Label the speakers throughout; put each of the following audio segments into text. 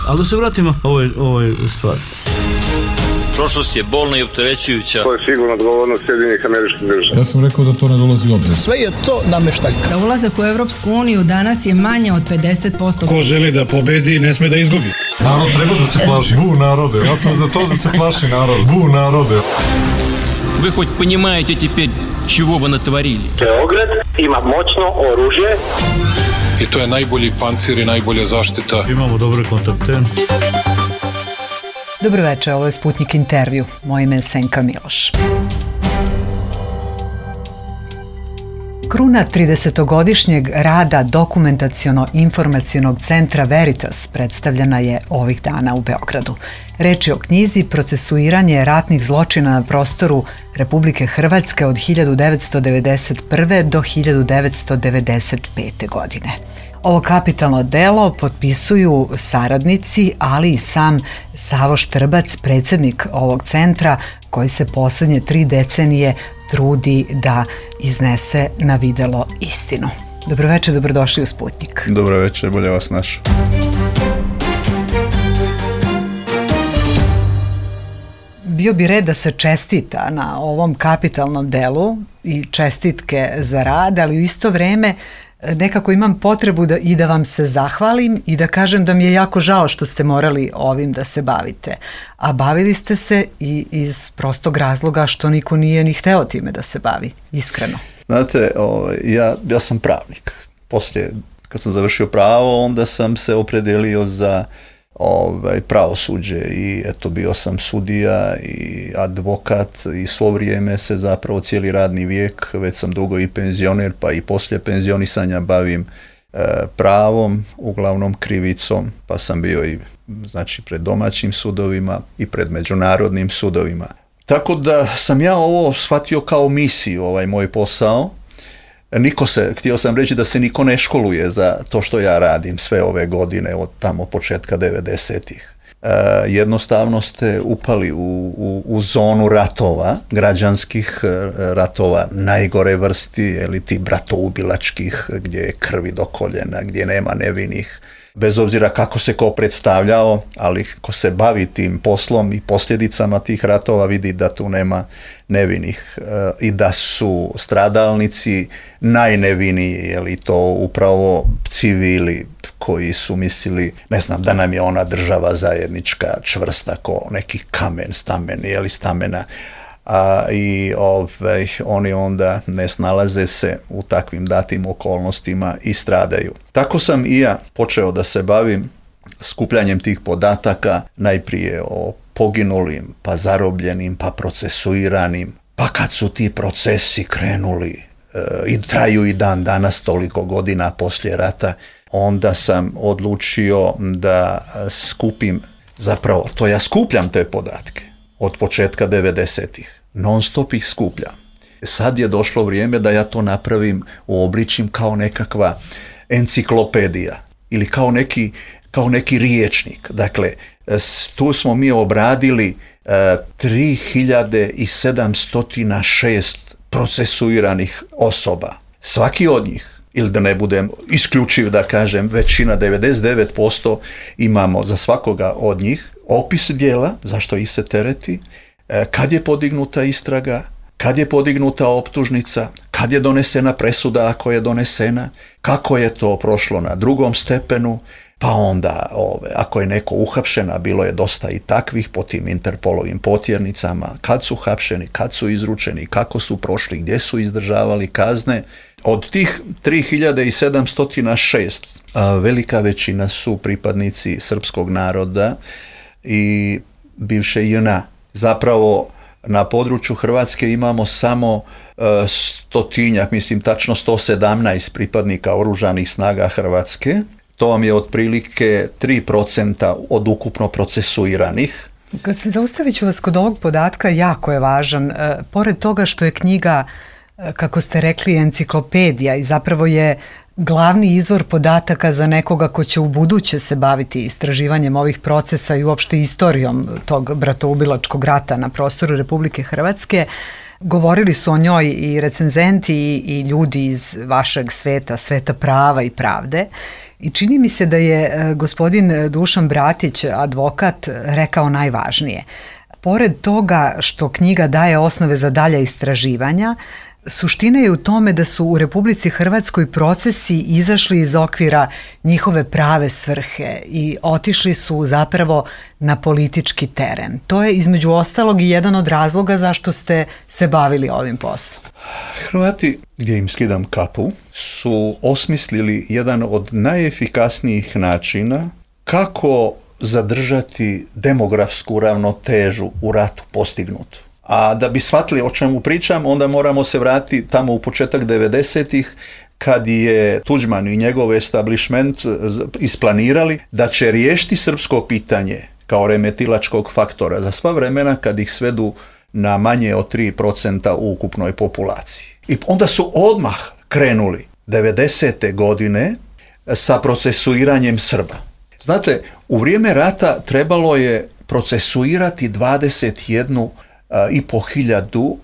Speaker 1: Ali da se vratimo ovoj stvari.
Speaker 2: Prošlost je bolna i opterećujuća.
Speaker 3: To je sigurno odgovornost Sjedinjenih Američkih Država.
Speaker 4: Ja sam rekao da to ne dolazi u obzir.
Speaker 5: Sve je to nameštaljka.
Speaker 6: Za ulazak u Evropsku uniju danas je manje od 50%.
Speaker 7: Ko želi da pobedi, ne sme da izgubi.
Speaker 4: Narod treba da se plaši. Bu narode. Ja sam za to da se plaši narod. Bu narode.
Speaker 8: Вы хоть понимаете теперь, чего вы натворили?
Speaker 9: Beograd ima moćno oružje.
Speaker 7: I to je najbolji pancir i najbolja zaštita.
Speaker 1: Imamo dobre kontakte.
Speaker 10: Dobro večer, ovo je Sputnik intervju. Moje ime je Senka Miloš. Kruna 30-godišnjeg rada Dokumentaciono-informacionog centra Veritas predstavljena je ovih dana u Beogradu. Reč je o knjizi Procesuiranje ratnih zločina na prostoru Republike Hrvatske od 1991. do 1995. godine. Ovo kapitalno delo potpisuju saradnici, ali i sam Savo Štrbac, predsjednik ovog centra, koji se posljednje 3 decenije trudi da iznese na videlo istinu. Dobro večer, dobrodošli u Sputnik.
Speaker 11: Dobro večer, bolje vas našao.
Speaker 10: Bio bi red da se čestita na ovom kapitalnom delu i čestitke za rad, ali u isto vrijeme nekako imam potrebu da vam se zahvalim i da kažem da mi je jako žao što ste morali ovim da se bavite. A bavili ste se i iz prostog razloga što niko nije ni hteo time da se bavi, iskreno.
Speaker 11: Znate, ja sam pravnik. Poslije, kad sam završio pravo, onda sam se opredelio za pravosuđe i eto, bio sam sudija i advokat i svo vrijeme se zapravo cijeli radni vijek, već sam dugo i penzioner, pa i poslije penzionisanja bavim pravom, uglavnom krivicom, pa sam bio i pred domaćim sudovima i pred međunarodnim sudovima. Tako da sam ja ovo shvatio kao misiju, moj posao. Htio sam reći da se niko ne školuje za to što ja radim sve ove godine od tamo početka 90-ih. Jednostavno ste upali u zonu ratova, građanskih ratova najgore vrsti, ti bratoubilačkih, gdje je krvi do koljena, gdje nema nevinih. Bez obzira kako se ko predstavljao, ali ko se bavi tim poslom i posljedicama tih ratova vidi da tu nema nevinih i da su stradalnici najneviniji, to upravo civili koji su mislili, da nam je ona država zajednička, čvrsta ko neki kamen, stamena, i oni onda ne snalaze se u takvim datim okolnostima i stradaju. Tako sam i ja počeo da se bavim skupljanjem tih podataka, najprije o poginulim, pa zarobljenim, pa procesuiranim, pa kad su ti procesi krenuli i traju i dan danas toliko godina poslije rata, onda sam odlučio da skupim, zapravo to ja skupljam te podatke od početka 90-ih. Non stop ih skupljam. Sad je došlo vrijeme da ja to napravim, uobličim kao nekakva enciklopedija ili kao neki riječnik. Dakle, tu smo mi obradili 3706 procesuiranih osoba. Svaki od njih, ili da ne budem isključiv da kažem, većina 99% imamo za svakoga od njih opis djela, zašto ih se tereti, kad je podignuta istraga, kad je podignuta optužnica, kad je donesena presuda ako je donesena, kako je to prošlo na drugom stepenu, pa onda ako je neko uhapšen, a bilo je dosta i takvih po tim Interpolovim potjernicama, kad su hapšeni, kad su izručeni, kako su prošli, gdje su izdržavali kazne. Od tih 3706 velika većina su pripadnici srpskog naroda i bivše JNA. Zapravo na području Hrvatske imamo samo stotinjak, tačno 117 pripadnika oružanih snaga Hrvatske. To vam je otprilike 3% od ukupno procesuiranih.
Speaker 10: Kad se zaustavit ću vas kod ovog podatka, jako je važan. Pored toga što je knjiga, kako ste rekli, enciklopedija i zapravo je glavni izvor podataka za nekoga ko će u buduće se baviti istraživanjem ovih procesa i uopšte istorijom tog bratoubilačkog rata na prostoru Republike Hrvatske, govorili su o njoj i recenzenti i ljudi iz vašeg sveta, sveta prava i pravde. I čini mi se da je gospodin Dušan Bratić, advokat, rekao najvažnije. Pored toga što knjiga daje osnove za dalja istraživanja, suština je u tome da su u Republici Hrvatskoj procesi izašli iz okvira njihove prave svrhe i otišli su zapravo na politički teren. To je između ostalog i jedan od razloga zašto ste se bavili ovim poslom.
Speaker 11: Hrvati, gdje im skidam kapu, su osmislili jedan od najefikasnijih načina kako zadržati demografsku ravnotežu u ratu postignutu. A da bi shvatili o čemu pričam, onda moramo se vratiti tamo u početak 90-ih, kad je Tuđman i njegov establishment isplanirali da će riješiti srpsko pitanje kao remetilačkog faktora za sva vremena kad ih svedu na manje od 3% u ukupnoj populaciji. I onda su odmah krenuli 90. godine sa procesuiranjem Srba. Znate, u vrijeme rata trebalo je procesuirati 21.500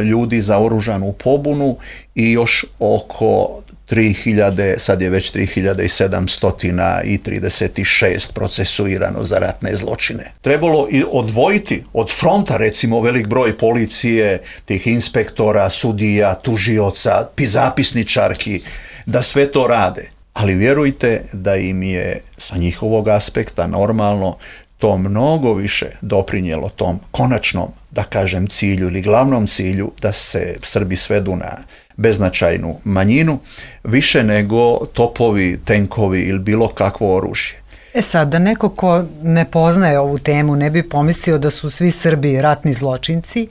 Speaker 11: ljudi za oružanu pobunu i još oko 3000, sad je već 3736 procesuirano za ratne zločine. Trebalo i odvojiti od fronta, recimo, velik broj policije, tih inspektora, sudija, tužioca, zapisničarki, da sve to rade. Ali vjerujte da im je sa njihovog aspekta normalno to mnogo više doprinijelo tom konačnom, da kažem, cilju ili glavnom cilju da se Srbi svedu na beznačajnu manjinu, više nego topovi, tenkovi ili bilo kakvo oružje.
Speaker 10: Sad, da neko ko ne poznaje ovu temu ne bi pomislio da su svi Srbi ratni zločinci,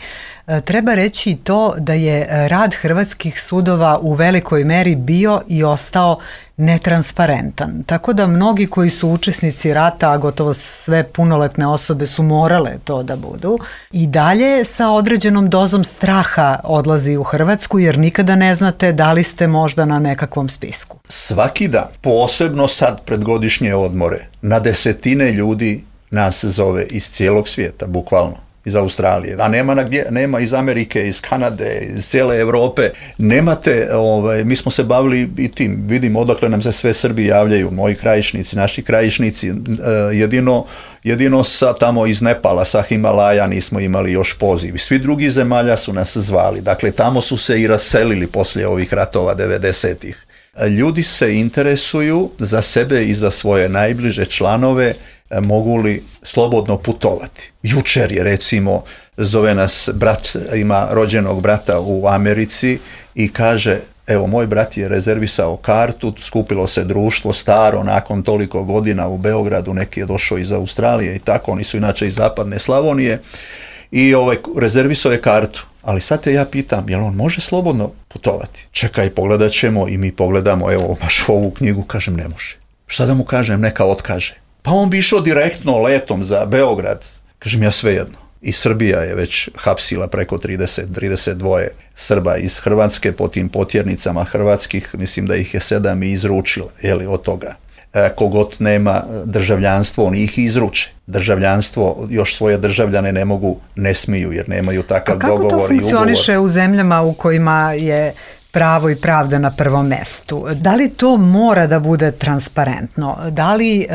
Speaker 10: treba reći i to da je rad hrvatskih sudova u velikoj meri bio i ostao netransparentan. Tako da mnogi koji su učesnici rata, a gotovo sve punoletne osobe su morale to da budu, i dalje sa određenom dozom straha odlazi u Hrvatsku, jer nikada ne znate da li ste možda na nekakvom spisku.
Speaker 11: Svaki dan, posebno sad pred godišnje odmore, na desetine ljudi nas zove iz cijelog svijeta, bukvalno. Iz Australije, a nema iz Amerike, iz Kanade, iz cijele Europe, nemate, mi smo se bavili i tim, vidim odakle nam se sve Srbi javljaju, moji krajišnici, naši krajišnici, jedino sa tamo iz Nepala, sa Himalaja nismo imali još poziv, svi drugi zemalja su nas zvali, dakle tamo su se i raselili poslije ovih ratova 90-ih. Ljudi se interesuju za sebe i za svoje najbliže članove, mogu li slobodno putovati. Jučer je, recimo, zove nas brat, ima rođenog brata u Americi i kaže, evo, moj brat je rezervisao kartu, skupilo se društvo staro nakon toliko godina u Beogradu, neki je došao iz Australije i tako, oni su inače iz zapadne Slavonije, i rezervisao je kartu. Ali sad te ja pitam, jel on može slobodno putovati? Čekaj, pogledat ćemo, i mi pogledamo, evo, baš ovu knjigu, kažem, ne može. Šta da mu kažem, neka otkaže. Pa on bi išao direktno letom za Beograd. Kažem, ja svejedno. I Srbija je već hapsila preko 32 Srba iz Hrvatske po tim potjernicama hrvatskih, mislim da ih je 7 i izručila, od toga. Kogod nema državljanstvo, oni ih izruče. Državljanstvo, još svoje državljane ne smiju, jer nemaju takav dogovor i ugovor.
Speaker 10: Kako to funkcioniše u zemljama u kojima je pravo i pravda na prvom mestu? Da li to mora da bude transparentno? Da li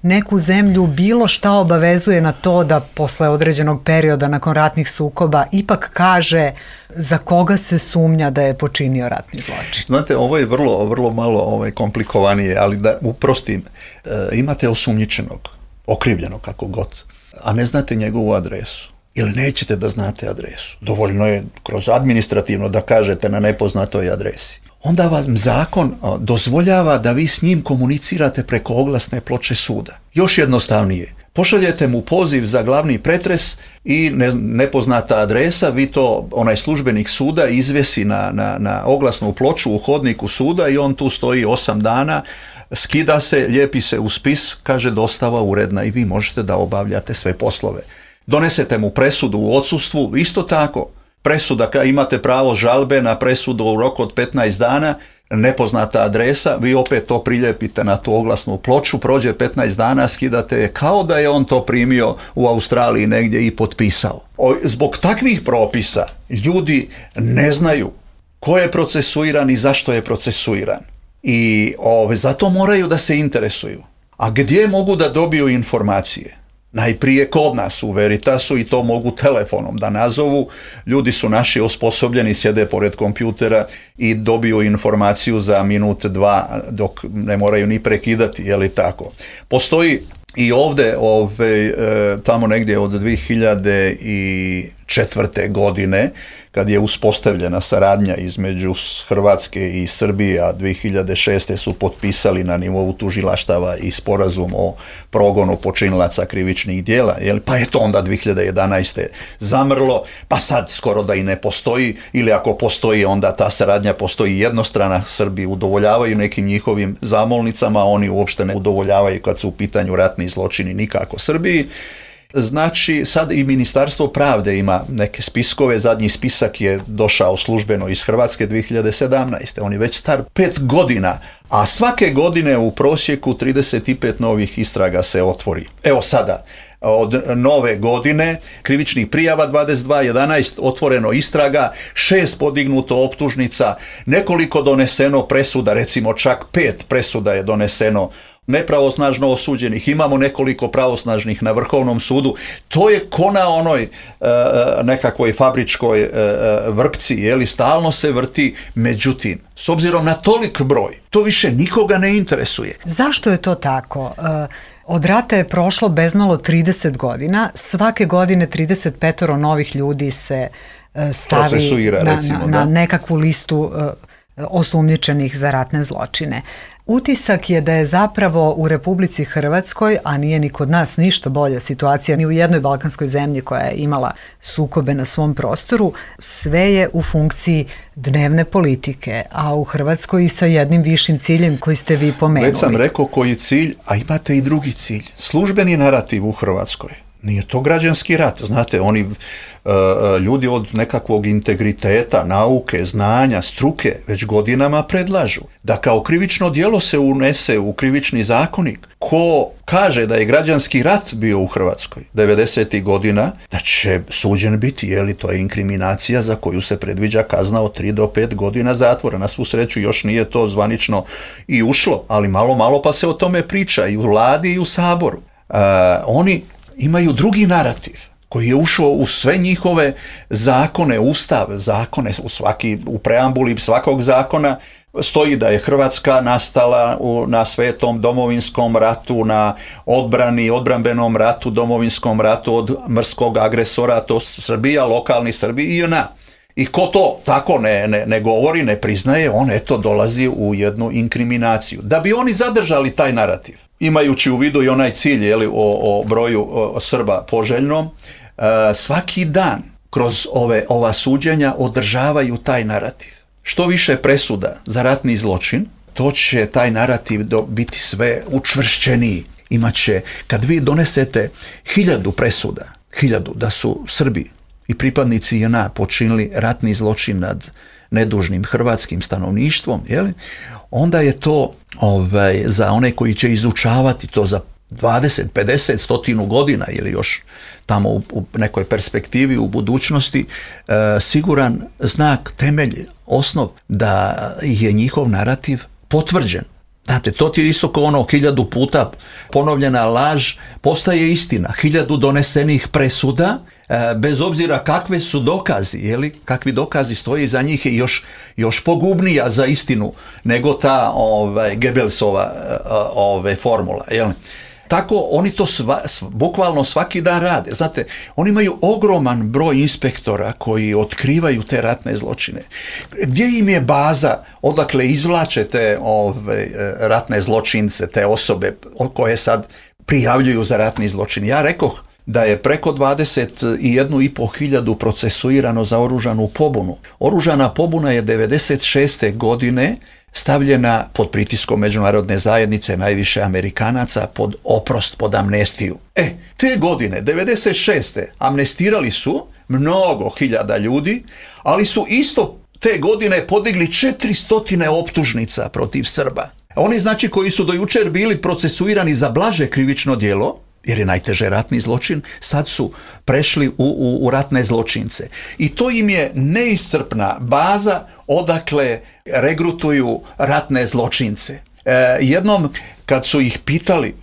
Speaker 10: neku zemlju bilo šta obavezuje na to da posle određenog perioda nakon ratnih sukoba ipak kaže za koga se sumnja da je počinio ratni zločin?
Speaker 11: Znate, ovo je vrlo malo komplikovanije, ali da uprostim, imate osumnjičenog, okrivljenog kako god, a ne znate njegovu adresu. Ili nećete da znate adresu. Dovoljno je kroz administrativno da kažete na nepoznatoj adresi. Onda vam zakon dozvoljava da vi s njim komunicirate preko oglasne ploče suda. Još jednostavnije. Pošaljete mu poziv za glavni pretres i nepoznata adresa, vi to, onaj službenik suda izvesi na oglasnu ploču u hodniku suda i on tu stoji 8 dana, skida se, lijepi se u spis, kaže dostava uredna i vi možete da obavljate sve poslove. Donesete mu presudu u odsustvu, isto tako. Presuda, imate pravo žalbe na presudu u roku od 15 dana, nepoznata adresa, vi opet to priljepite na tu oglasnu ploču, prođe 15 dana, skidate je kao da je on to primio u Australiji negdje i potpisao. Zbog takvih propisa ljudi ne znaju ko je procesuiran i zašto je procesuiran. I zato moraju da se interesuju. A gdje mogu da dobiju informacije? Najprije kod nas u Veritasu i to mogu telefonom da nazovu. Ljudi su naši osposobljeni, sjede pored kompjutera i dobiju informaciju za minut, dva, dok ne moraju ni prekidati, je li tako? Postoji i ovdje, tamo negdje od 2004. godine, kad je uspostavljena saradnja između Hrvatske i Srbije, a 2006. su potpisali na nivou tužilaštava i sporazum o progonu počinilaca krivičnih djela, pa je to onda 2011. zamrlo, pa sad skoro da i ne postoji, ili ako postoji, onda ta saradnja postoji jednostrana. Srbi udovoljavaju nekim njihovim zamolnicama, oni uopšte ne udovoljavaju kad su u pitanju ratni zločini nikako Srbiji. Znači, sad i Ministarstvo pravde ima neke spiskove, zadnji spisak je došao službeno iz Hrvatske 2017. On je već star 5 godina, a svake godine u prosjeku 35 novih istraga se otvori. Evo sada, od nove godine, krivičnih prijava 22, 11 otvoreno istraga, 6 podignuto optužnica, nekoliko doneseno presuda, recimo čak 5 presuda je doneseno nepravosnažno osuđenih, imamo nekoliko pravosnažnih na Vrhovnom sudu. To je ko na onoj nekakvoj fabričkoj vrpci, stalno se vrti, međutim, s obzirom na tolik broj, to više nikoga ne interesuje.
Speaker 10: Zašto je to tako? Od rata je prošlo bezmalo 30 godina, svake godine 35 novih ljudi se stavi na nekakvu listu osumnjičenih za ratne zločine. Utisak je da je zapravo u Republici Hrvatskoj, a nije ni kod nas ništa bolja situacija, ni u jednoj balkanskoj zemlji koja je imala sukobe na svom prostoru, sve je u funkciji dnevne politike, a u Hrvatskoj i sa jednim višim ciljem koji ste vi pomenuli.
Speaker 11: Već sam rekao koji cilj, a imate i drugi cilj. Službeni narativ u Hrvatskoj. Nije to građanski rat, znate, oni ljudi od nekakvog integriteta, nauke, znanja, struke već godinama predlažu da kao krivično djelo se unese u krivični zakonik. Ko kaže da je građanski rat bio u Hrvatskoj 90. godina, da će suđen biti, to je inkriminacija za koju se predviđa kazna od 3 do 5 godina zatvora. Na svu sreću još nije to zvanično i ušlo, ali malo pa se o tome priča i u vladi i u Saboru. Oni imaju drugi narativ koji je ušao u sve njihove zakone, ustav, zakone, u preambuli svakog zakona stoji da je Hrvatska nastala na svetom domovinskom ratu, na odbrambenom ratu, domovinskom ratu od mrskog agresora, to Srbija, lokalni Srbi i JNA. I ko to tako ne govori, ne priznaje, on dolazi u jednu inkriminaciju. Da bi oni zadržali taj narativ, imajući u vidu i onaj cilj o broju Srba poželjnom, svaki dan kroz ova suđenja održavaju taj narativ. Što više presuda za ratni zločin, to će taj narativ biti sve učvršćeniji. Imaće, kad vi donesete 1000 presuda, 1000 da su Srbi i pripadnici JNA počinili ratni zločin nad nedužnim hrvatskim stanovništvom, onda je to za one koji će izučavati to za 20, 50, 100 godina ili još tamo u nekoj perspektivi u budućnosti, siguran znak, temelj, osnov da je njihov narativ potvrđen. Znate, to ti je isto kao 1000 puta ponovljena laž postaje istina. 1000 donesenih presuda, bez obzira kakve su dokazi, kakvi dokazi stoje iza njih, je još pogubnija za istinu nego ta Goebbelsova formula. Tako oni to bukvalno svaki dan rade. Znate, oni imaju ogroman broj inspektora koji otkrivaju te ratne zločine. Gdje im je baza, odakle izvlače te ratne zločince, te osobe koje sad prijavljuju za ratni zločin? Ja rekoh da je preko 21.500 procesuirano za oružanu pobunu. Oružana pobuna je 96. godine stavljena pod pritiskom međunarodne zajednice, najviše Amerikanaca, pod oprost, pod amnestiju. Te godine, 96. amnestirali su mnogo hiljada ljudi, ali su isto te godine podigli 400 optužnica protiv Srba. Oni, znači, koji su do jučer bili procesuirani za blaže krivično djelo, jer je najteže ratni zločin, sad su prešli u ratne zločince. I to im je neiscrpna baza odakle regrutuju ratne zločince. Jednom kad su ih pitali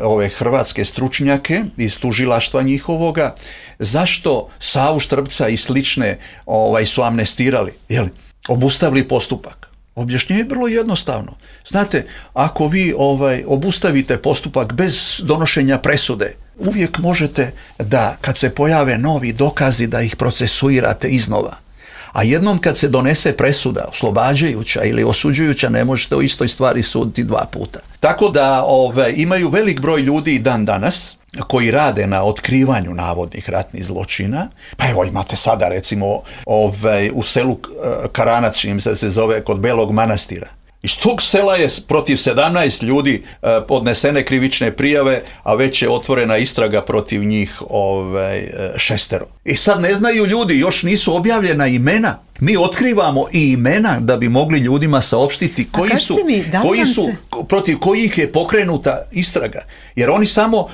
Speaker 11: ove hrvatske stručnjake iz tužilaštva njihovoga zašto Savu Štrbca i slične su amnestirali, obustavili postupak. Objašnjenje je vrlo jednostavno. Znate, ako vi obustavite postupak bez donošenja presude, uvijek možete da kad se pojave novi dokazi da ih procesuirate iznova. A jednom kad se donese presuda oslobađajuća ili osuđujuća, ne možete o istoj stvari suditi 2 puta. Tako da imaju velik broj ljudi i dan danas koji rade na otkrivanju navodnih ratnih zločina. Pa evo imate sada recimo u selu Karanac, čim se zove, kod Belog Manastira. Iz tog sela je protiv 17 ljudi podnesene krivične prijave, a već je otvorena istraga protiv njih 6. I sad ne znaju ljudi, još nisu objavljena imena. Mi otkrivamo i imena da bi mogli ljudima saopštiti protiv kojih je pokrenuta istraga. Jer oni samo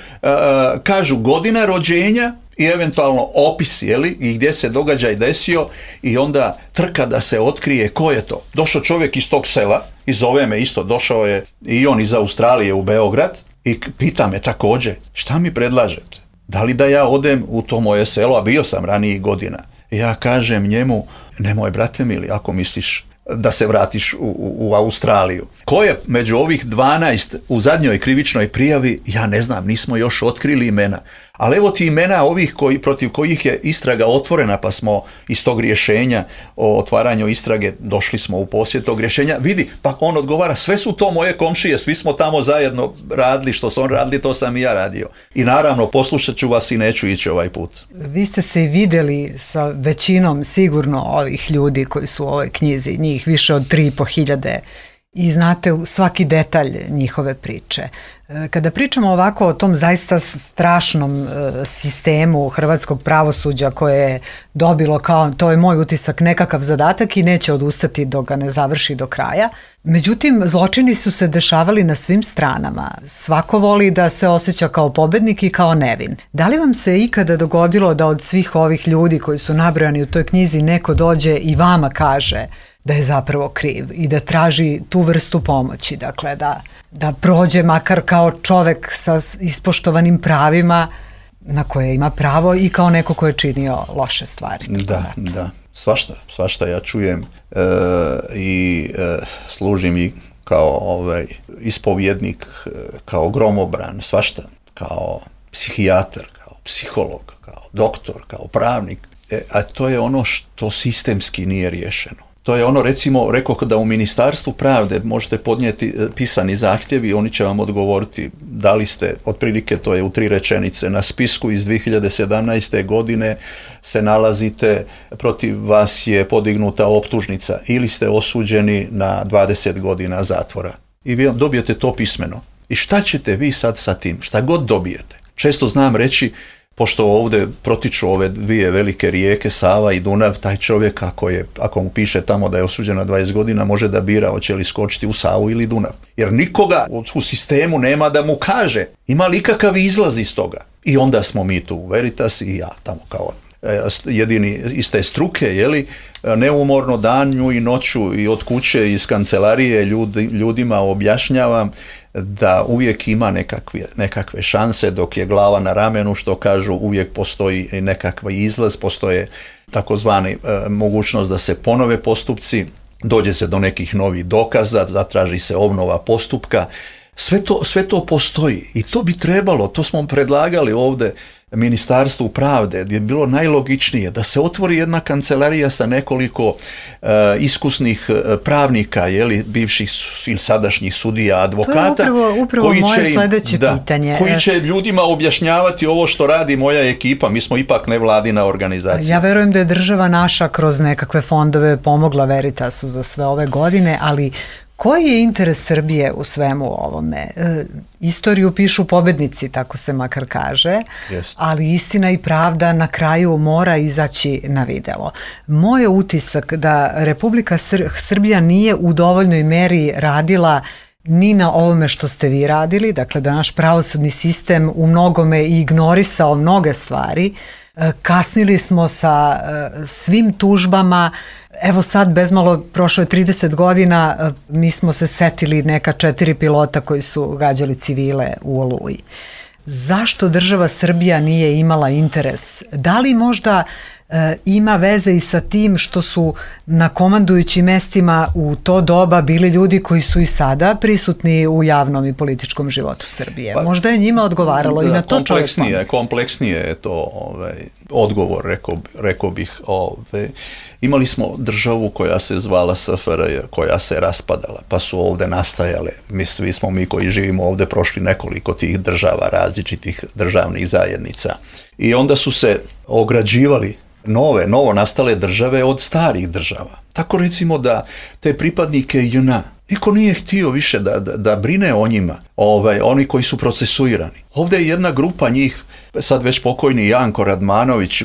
Speaker 11: kažu godina rođenja i eventualno opis, i gdje se događaj desio, i onda trka da se otkrije ko je to. Došao čovjek iz tog sela, i zove me isto, došao je i on iz Australije u Beograd i pita me također, šta mi predlažete? Da li da ja odem u to moje selo, a bio sam ranijih godina? Ja kažem njemu, nemoj brate mili, ako misliš da se vratiš u Australiju. Ko je među ovih 12 u zadnjoj krivičnoj prijavi, ja ne znam, nismo još otkrili imena. Ali evo ti imena ovih protiv kojih je istraga otvorena, pa smo iz tog rješenja o otvaranju istrage došli smo u posjed tog rješenja. Vidi, pa on odgovara, sve su to moje komšije, svi smo tamo zajedno radili, što su on radili, to sam i ja radio. I naravno, poslušat ću vas i neću ići ovaj put.
Speaker 10: Vi ste se i vidjeli sa većinom sigurno ovih ljudi koji su u ovoj knjizi, njih više od 3.500, i znate svaki detalj njihove priče. Kada pričamo ovako o tom zaista strašnom sistemu hrvatskog pravosuđa koje je dobilo, kao to je moj utisak, nekakav zadatak i neće odustati dok ga ne završi do kraja. Međutim, zločini su se dešavali na svim stranama. Svako voli da se osjeća kao pobednik i kao nevin. Da li vam se ikada dogodilo da od svih ovih ljudi koji su nabrojani u toj knjizi neko dođe i vama kaže da je zapravo kriv i da traži tu vrstu pomoći, dakle da prođe makar kao čovek sa ispoštovanim pravima na koje ima pravo i kao neko ko je činio loše stvari?
Speaker 11: Da, svašta ja čujem i služim i kao ispovjednik, kao gromobran, svašta, kao psihijatar, kao psiholog, kao doktor, kao pravnik, a to je ono što sistemski nije riješeno. To je ono, recimo, rekao da u Ministarstvu pravde možete podnijeti pisani zahtjevi, oni će vam odgovoriti da li ste, otprilike to je u 3 rečenice, na spisku iz 2017. godine se nalazite, protiv vas je podignuta optužnica ili ste osuđeni na 20 godina zatvora. I vi dobijete to pismeno. I šta ćete vi sad sa tim? Šta god dobijete? Često znam reći, pošto ovdje protiču ove 2 velike rijeke, Sava i Dunav, taj čovjek ako mu piše tamo da je osuđen na 20 godina, može da bira hoće li skočiti u Savu ili Dunav. Jer nikoga u sistemu nema da mu kaže ima li ikakav izlaz iz toga. I onda smo mi tu u Veritas i ja tamo kao jedini iz te struke, neumorno danju i noću i od kuće iz kancelarije ljudima objašnjavam da uvijek ima nekakve šanse dok je glava na ramenu, što kažu, uvijek postoji nekakav izlaz, postoje takozvani mogućnost da se ponove postupci, dođe se do nekih novih dokaza, zatraži se obnova postupka. Sve to postoji i to bi trebalo, to smo predlagali ovdje Ministarstvu pravde, gdje je bilo najlogičnije da se otvori jedna kancelarija sa nekoliko iskusnih pravnika, bivših ili sadašnjih sudija, advokata.
Speaker 10: To je upravo moje sljedeće pitanje.
Speaker 11: Koji će ljudima objašnjavati ovo što radi moja ekipa, mi smo ipak nevladina organizacija.
Speaker 10: Ja verujem da je država naša kroz nekakve fondove pomogla Veritasu za sve ove godine, ali koji je interes Srbije u svemu ovome? Istoriju pišu pobednici, tako se makar kaže, ali istina i pravda na kraju mora izaći na videlo. Moj je utisak da Republika Srbija nije u dovoljnoj meri radila ni na ovome što ste vi radili, dakle da naš pravosudni sistem u mnogome ignorisao mnoge stvari. Kasnili smo sa svim tužbama. Evo sad, bezmalo, prošlo je 30 godina, mi smo se setili neka 4 pilota koji su gađali civile u Oluji. Zašto država Srbija nije imala interes? Da li možda ima veze i sa tim što su na komandujućim mestima u to doba bili ljudi koji su i sada prisutni u javnom i političkom životu Srbije? Možda je njima odgovaralo i na to čovjek pomisli.
Speaker 11: Kompleksnije je to odgovor, rekao bih. Imali smo državu koja se zvala SFRJ, koja se raspadala, pa su ovde nastajale. Svi smo mi koji živimo ovde prošli nekoliko tih država, različitih državnih zajednica. I onda su se ograđivali novo nastale države od starih država. Tako recimo da te pripadnike JNA niko nije htio više da brine o njima, oni koji su procesuirani. Ovdje je jedna grupa njih, sad već pokojni Janko Radmanović,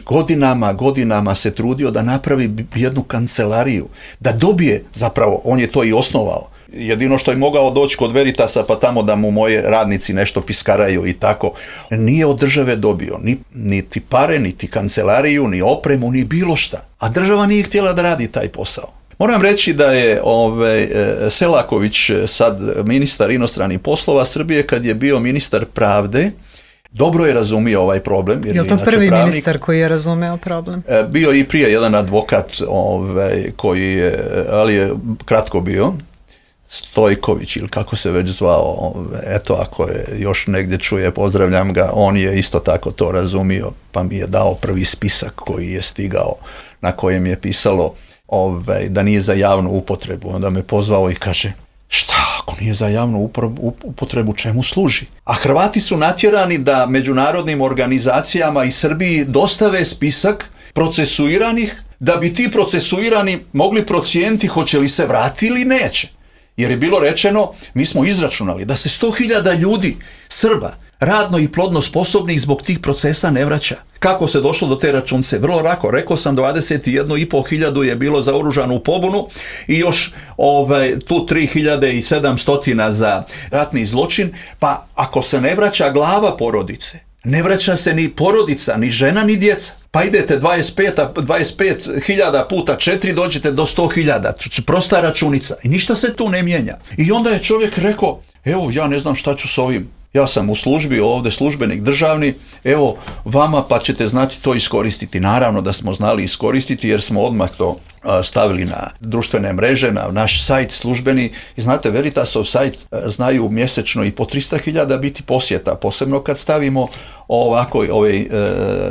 Speaker 11: godinama se trudio da napravi jednu kancelariju, da dobije, zapravo on je to i osnovao. Jedino što je mogao doći kod Veritasa pa tamo da mu moje radnici nešto piskaraju i tako. Nije od države dobio niti pare, niti kancelariju, ni opremu, ni bilo šta. A država nije htjela da radi taj posao. Moram reći da je Selaković, sad ministar inostranih poslova Srbije, kad je bio ministar pravde, dobro je razumio ovaj problem.
Speaker 10: Je li to prvi ministar koji je razumeo problem?
Speaker 11: Bio i prije jedan advokat koji je, ali je kratko bio, Stojković ili kako se već zvao, eto ako je još negdje čuje, pozdravljam ga, on je isto tako to razumio, pa mi je dao prvi spisak koji je stigao, na kojem je pisalo da nije za javnu upotrebu. Onda me pozvao i kaže, šta ako nije za javnu upotrebu, čemu služi? A Hrvati su natjerani da međunarodnim organizacijama i Srbiji dostave spisak procesuiranih, da bi ti procesuirani mogli procijeniti hoće li se vratiti ili neće. Jer je bilo rečeno, mi smo izračunali da se 100.000 ljudi, Srba, radno i plodno sposobnih zbog tih procesa ne vraća. Kako se došlo do te računce? Vrlo lako, rekao sam 21.500 je bilo za oružanu pobunu i još tu 3.700 za ratni zločin, pa ako se ne vraća glava porodice, ne vraća se ni porodica, ni žena, ni djeca. Pa idete 25.000 puta 4, dođete do 100.000. Prosta računica. I ništa se tu ne mijenja. I onda je čovjek rekao, evo ja ne znam šta ću s ovim. Ja sam u službi, ovdje službenik državni, evo vama pa ćete znati to iskoristiti. Naravno da smo znali iskoristiti jer smo odmah to stavili na društvene mreže, na naš sajt službeni. I znate, Veritasov sajt znaju mjesečno i po 300.000 biti posjeta, posebno kad stavimo ovako ove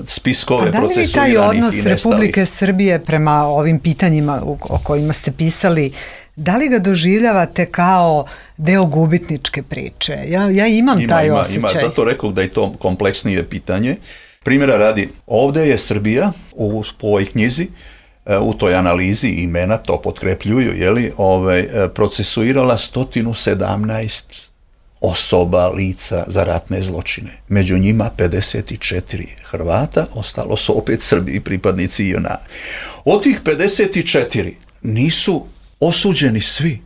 Speaker 11: spiskove procesuiranih i nestalih. A da li taj odnos Republike Srbije prema ovim pitanjima o kojima ste pisali, da li ga doživljavate kao deo gubitničke priče? Ja imam taj osjećaj. Zato rekao da je to kompleksnije pitanje. Primjera radi, ovdje je Srbija u ovoj knjizi, u toj analizi imena, to potkrepljuju, procesuirala 117 osoba, lica za ratne zločine. Među njima 54 Hrvata, ostalo su opet Srbi i pripadnici JNA. Od tih 54 nisu osuđeni svi.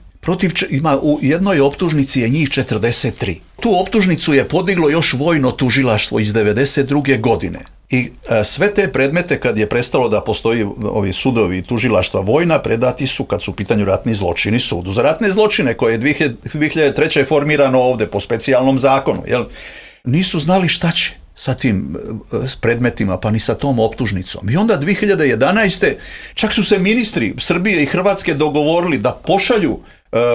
Speaker 11: Ima u jednoj optužnici je njih 43. Tu optužnicu je podiglo još vojno tužilaštvo iz 92. godine. I sve te predmete, kad je prestalo da postoji ovi sudovi i tužilaštva vojna, predati su, kad su u pitanju ratni zločini, sudu za ratne zločine, koje je 2003. formirano ovdje po specijalnom zakonu. Nisu znali šta će sa tim predmetima, pa ni sa tom optužnicom. I onda 2011. čak su se ministri Srbije i Hrvatske dogovorili da pošalju,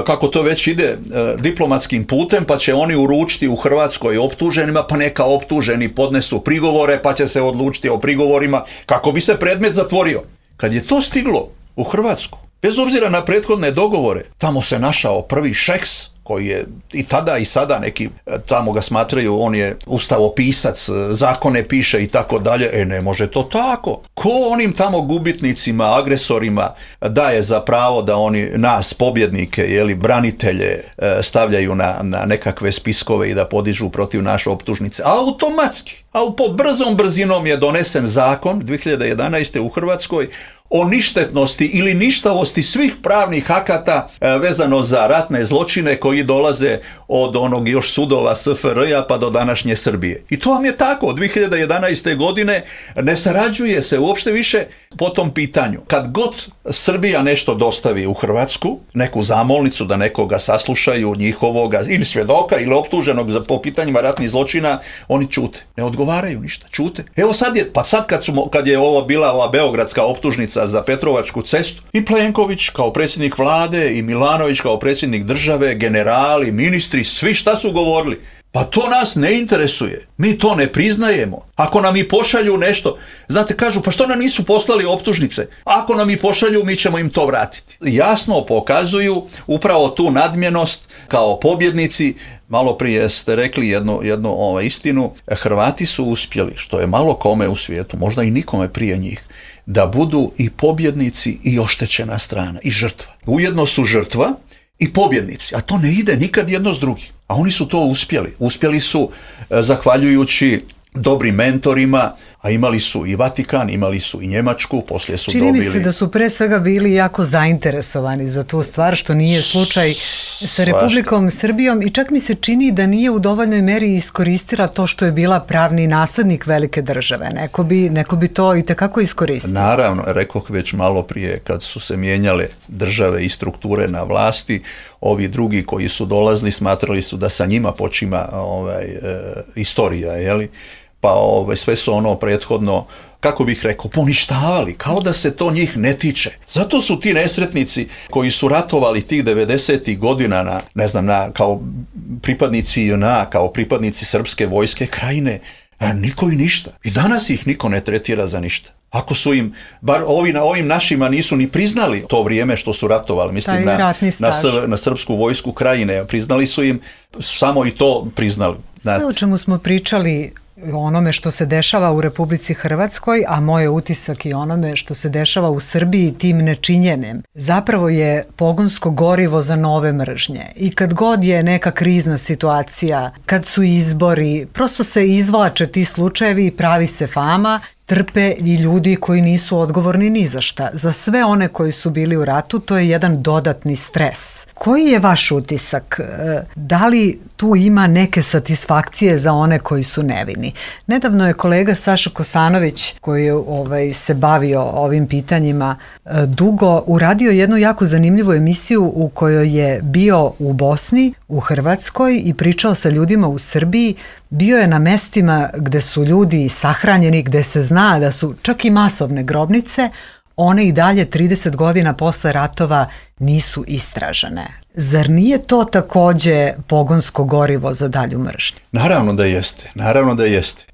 Speaker 11: kako to već ide, diplomatskim putem, pa će oni uručiti u Hrvatskoj optuženima, pa neka optuženi podnesu prigovore, pa će se odlučiti o prigovorima, kako bi se predmet zatvorio. Kad je to stiglo u Hrvatsku, bez obzira na prethodne dogovore, tamo se našao prvi Šeks, koji je i tada i sada neki tamo ga smatraju, on je ustavopisac, zakone piše i tako dalje. Ne može to tako. Ko onim tamo gubitnicima, agresorima daje za pravo da oni nas, pobjednike, branitelje, stavljaju na nekakve spiskove i da podižu protiv naše optužnice? Automatski. A pod brzom brzinom je donesen zakon 2011. u Hrvatskoj o ništetnosti ili ništavosti svih pravnih akata vezano za ratne zločine koji dolaze od onog još sudova SFRJ-a pa do današnje Srbije. I to vam je tako. Od 2011. godine ne sarađuje se uopšte više po tom pitanju. Kad god Srbija nešto dostavi u Hrvatsku, neku zamolnicu da nekoga saslušaju, njihovoga ili svjedoka ili optuženog po pitanjima ratnih zločina, oni ćute. Ne odgovaraju ništa, ćute. Evo sad kad je ovo bila ova beogradska optužnica za Petrovačku cestu, i Plenković kao predsjednik vlade i Milanović kao predsjednik države, generali, ministri, svi šta su govorili? Pa to nas ne interesuje. Mi to ne priznajemo. Ako nam i pošalju nešto, znate, kažu, pa što nam nisu poslali optužnice? Ako nam i pošalju, mi ćemo im to vratiti. Jasno pokazuju upravo tu nadmjenost kao pobjednici. Malo prije ste rekli jednu istinu. Hrvati su uspjeli, što je malo kome u svijetu, možda i nikome prije njih, da budu i pobjednici i oštećena strana, i žrtva. Ujedno su žrtva i pobjednici, a to ne ide nikad jedno s drugim. A oni su to uspjeli. Uspjeli su zahvaljujući dobrim mentorima, a imali su i Vatikan, imali su i Njemačku, poslije su dobili...
Speaker 10: Čini mi se da su pre svega bili jako zainteresovani za tu stvar, što nije slučaj sa Republikom Srbijom, i čak mi se čini da nije u dovoljnoj meri iskoristila to što je bila pravni naslednik velike države. Neko bi to i tekako iskoristio.
Speaker 11: Naravno, rekoh već malo prije, kad su se mijenjale države i strukture na vlasti, ovi drugi koji su dolazili smatrali su da sa njima počima istorija, jeli? Pa sve su ono prethodno, kako bih rekao, poništavali, kao da se to njih ne tiče. Zato su ti nesretnici koji su ratovali tih 90. godina kao pripadnici JNA, kao pripadnici Srpske vojske Krajine, niko i ništa. I danas ih niko ne tretira za ništa. Ako su im, bar ovim našima nisu ni priznali to vrijeme što su ratovali, mislim na Srpsku vojsku Krajine, priznali su im, samo i to priznali.
Speaker 10: Sve o čemu smo pričali, o onome što se dešava u Republici Hrvatskoj, a moj utisak i onome što se dešava u Srbiji tim nečinjenjem, zapravo je pogonsko gorivo za nove mržnje. I kad god je neka krizna situacija, kad su izbori, prosto se izvlače ti slučajevi i pravi se fama, trpe i ljudi koji nisu odgovorni ni za šta. Za sve one koji su bili u ratu, to je jedan dodatni stres. Koji je vaš utisak? Da li tu ima neke satisfakcije za one koji su nevini? Nedavno je kolega Saša Kosanović, koji je se bavio ovim pitanjima dugo, uradio jednu jako zanimljivu emisiju u kojoj je bio u Bosni, u Hrvatskoj i pričao sa ljudima u Srbiji. Bio je na mestima gde su ljudi sahranjeni, gde se zna da su čak i masovne grobnice, one i dalje 30 godina posle ratova nisu istražene. Zar nije to takođe pogonsko gorivo za dalju mržnju?
Speaker 11: Naravno da jeste.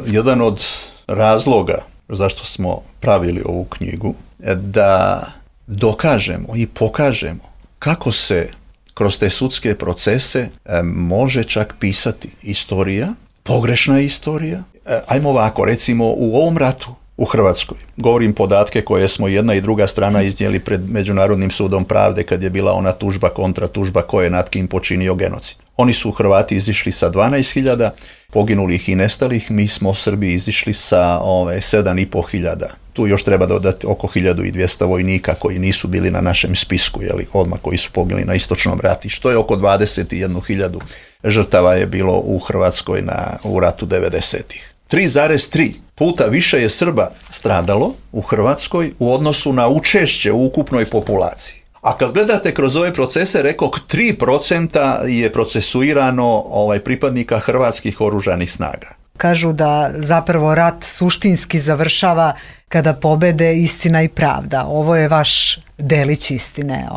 Speaker 11: Jedan od razloga zašto smo pravili ovu knjigu je da dokažemo i pokažemo kako se kroz te sudske procese može čak pisati istorija, pogrešna istorija. Ajmo ovako, recimo u ovom ratu u Hrvatskoj, govorim podatke koje smo jedna i druga strana iznijeli pred Međunarodnim sudom pravde kad je bila ona tužba, kontratužba ko je nad kim počinio genocid. Oni su Hrvati izišli sa 12.000 poginulih i nestalih, mi smo u Srbiji izišli sa 7.500. Tu još treba dodati oko 1200 vojnika koji nisu bili na našem spisku, odmah koji su poginuli na istočnom ratištu. To je oko 21.000 žrtava je bilo u Hrvatskoj u ratu 90-ih. 3,3 puta više je Srba stradalo u Hrvatskoj u odnosu na učešće u ukupnoj populaciji. A kad gledate kroz ove procese, rekoh 3% je procesuirano pripadnika hrvatskih oružanih snaga.
Speaker 10: Kažu da zapravo rat suštinski završava kada pobede istina i pravda. Ovo je vaš delić istine.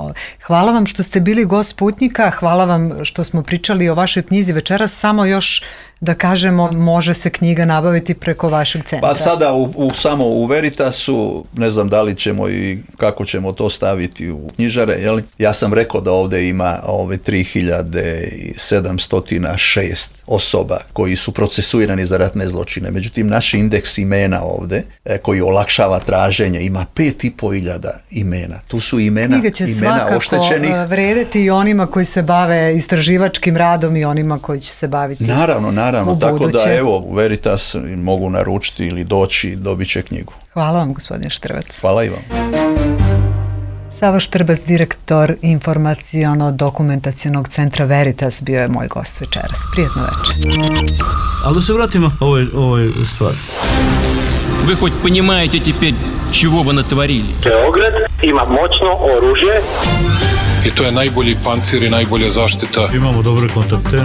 Speaker 10: Hvala vam što ste bili gost Sputnjika, hvala vam što smo pričali o vašoj knjizi večeras. Samo još da kažemo, može se knjiga nabaviti preko vašeg centra.
Speaker 11: Pa sada samo u Veritasu, ne znam da li ćemo i kako ćemo to staviti u knjižare, ja sam rekao da ovdje ima 3706 osoba koji su procesuirani za ratne zločine. Međutim, naš indeks imena ovdje, koji olakšava olakšava traženje, ima 5.500 imena. Tu su imena
Speaker 10: Knjiga će svakako
Speaker 11: oštećenih.
Speaker 10: vredeti i onima koji se bave istraživačkim radom i onima koji će se baviti
Speaker 11: Naravno,
Speaker 10: u
Speaker 11: tako
Speaker 10: buduće.
Speaker 11: da evo, u Veritas mogu naručiti ili doći, dobit će knjigu.
Speaker 10: Hvala vam, gospodine Štrbac.
Speaker 11: Hvala i vam.
Speaker 10: Savo Štrbac, direktor informaciono-dokumentacionog centra Veritas, bio je moj gost večeras. Prijetno večer.
Speaker 1: Ali da se vratimo ovoj stvari.
Speaker 8: Вы хоть понимаете теперь, чего вы натворили?
Speaker 9: Beograd ima moćno oružje.
Speaker 7: I to je najbolji pancir i najbolja zaštita.
Speaker 1: Imamo dobre kontakte.